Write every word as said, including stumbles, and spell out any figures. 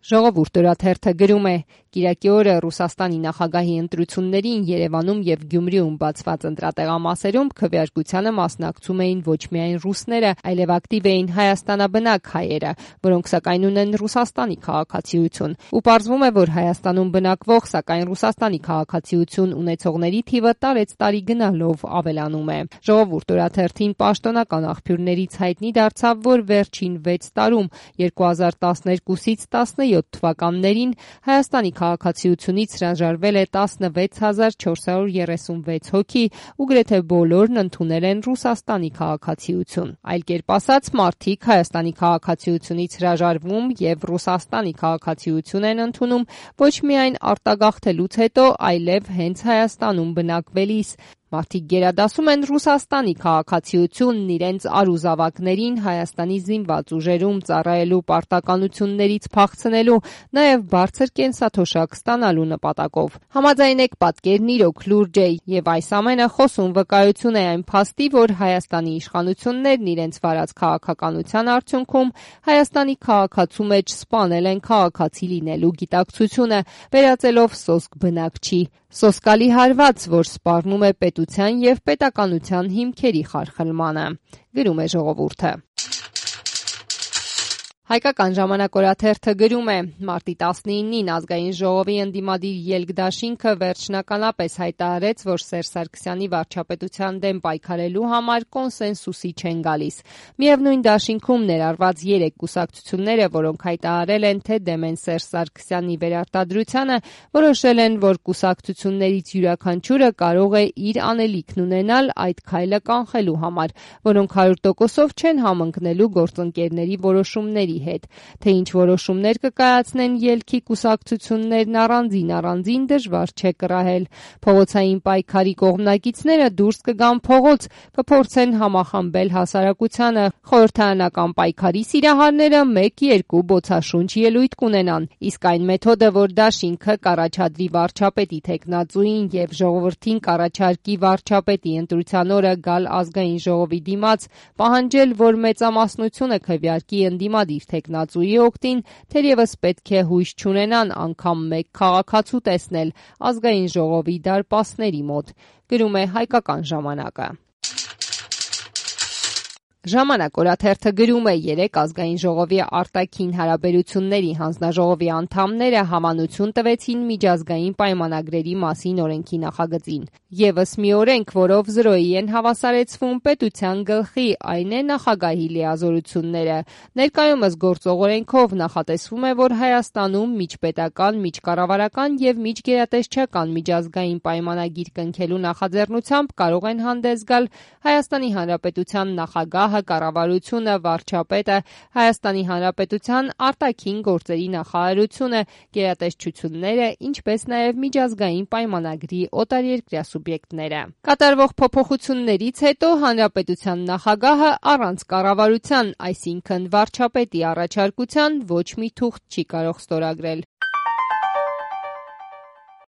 Ժողովուրդ օրաթերթը գրում է. Կիրակի օրը Ռուսաստանի նախագահի ընտրություններին Երևանում և Գյումրիում բացված ընտրատեղամասերում քվեարկությանը մասնակցում էին ոչ միայն ռուսները, այլև ակտիվ էին հայաստանաբնակ հայերը, որոնք սակայն ունեն Ռուսաստանի քաղաքացիություն, ու պարզվում է, որ Հայաստանում բնակվող, սակայն Ռուսաստանի քաղաքացիություն ունեցողների թիվը տարեցտարի գնալով ավելանում է։ Ժողովուրդ օրաթերթին պաշտոնական աղբյուրներից հայտնի դարձավ, որ վերջին վեց տարում երկու հազար տասներկուսից տասնյոթ թվականներին Հայաստանի քաղաքացիությունից հրաժարվել է տասնվեց հազար չորս հարյուր երեսունվեց հոգի ու գրեթե բոլորն ընդունել են Ռուսաստանի քաղաքացիություն։ Այլ կերպ ասած, մարդիկ Հայաստանի քաղաքացիությունից հրաժարվում և Ռուսաստանի քաղաքացիություն են ընդունում ոչ միայն արտագաղթելուց հետո, այլև հենց Հայաստանում բնակվելիս։ Մարդիկ գերադասում են Ռուսաստանի քաղաքացիությունն իրենց արուզավակներին Հայաստանի զինված ուժերում ծառայելու պարտականություններից փախցնելու, նաև բարձր կենսաթոշակ ստանալու նպատակով։ Համաձայնեք, պատկերն իրոք լուրջ է, և այս ամենը խոսուն վկայություն է այն փաստի, որ Հայաստանի իշխանություններն իրենց վարած քաղաքականության արդյունքում Հայաստանի քաղաքացու մեջ սպանել են քաղաքացի լինելու գիտակցությունը, վերածելով սոսկ բնակչի։ Սոսկալի հարված, որ սպառնում է պետության և պետականության հիմքերի խարխլմանը, գրում է Ժողովուրդը։ Հայկական ժամանակ օրաթերթը գրում է. Մարտի տասնինին Ազգային ժողովի ընդդիմադիր ելք դաշինքը վերջնականապես հայտարարեց, որ Սերժ Սարգսյանի վարչապետության դեմ պայքարելու համար կոնսենսուսի չեն գալիս։ Միևնույն դաշինքում ներառված երեք կուսակցությունները, որոնք հայտարարել են, թե դեմ են Սերժ Սարգսյանի վերարտադրությանը, որոշել են, որ կուսակցություններից յուրաքանչյուրը կարող է իր անելիքն ունենալ այդ քայլը կանխելու համար, որոնք հարյուր տոկոսով չեն համընկնելու գործընկերների որոշումների հետ, թե ինչ որոշումներ կկայացնեն ելքի կուսակցություններն առանձին-առանձին դժվար չէ կռահել։ Փողոցային պայքարի կողմնակիցները դուրս կգան փողոց, կփորձեն համախմբել հասարակությանը, խորհրդարանական պայքարի սիրահարները մեկ-երկու բոցաշունչ ելույթ կունենան, իսկ այն մեթոդը, որ դաշինքը կառաջադրի վարչապետի թեկնածուին և ժողովրդին կառաջարկի վարչապետի ընտրության օրը գալ Ազգային ժողովի դիմաց, պահանջել, որ մեծամասնությունը քվեարկի ընդդիմադիր թեկնածուի օգտին, թերևս պետք է հույս չունենան անգամ մեկ քաղաքացու տեսնել Ազգային ժողովի դարպասների մոտ, գրում է Հայկական ժամանակը։ Ժամանակ օրաթերթը գրում է. երեկ Ազգային ժողովի արտաքին հարաբերությունների հանձնաժողովի անդամները համանություն տվեցին միջազգային պայմանագրերի մասին օրենքի նախագծին։ Եվս մի օրենք, որով զրոյի են հավասարեցվում պետության գլխի, այն է նախագահի լիազորությունները։ Ներկայումս գործող օրենքով նախատեսվում է, որ Հայաստանում միջպետական, միջկառավարական և միջգերատեսչական միջազգային պայմանագիր կնքելու նախաձեռնությամբ կարող են հանդես գալ Հայաստանի Հանրապետության նախագահը, կառավարությունը, վարչապետը, Հայաստանի Հանրապետության արտաքին գործերի նախարարությունը, գերատեսչությունները, ինչպես նաև միջազգային պայմանագրի օտարերկրյա սուբյեկտները։ Կատարվող փոփոխություններից հետո Հանրապետության նախագահը առանց կառավարության, այսինքն վարչապետի առաջարկության ոչ մի թուղթ չի կարող ստորագրել։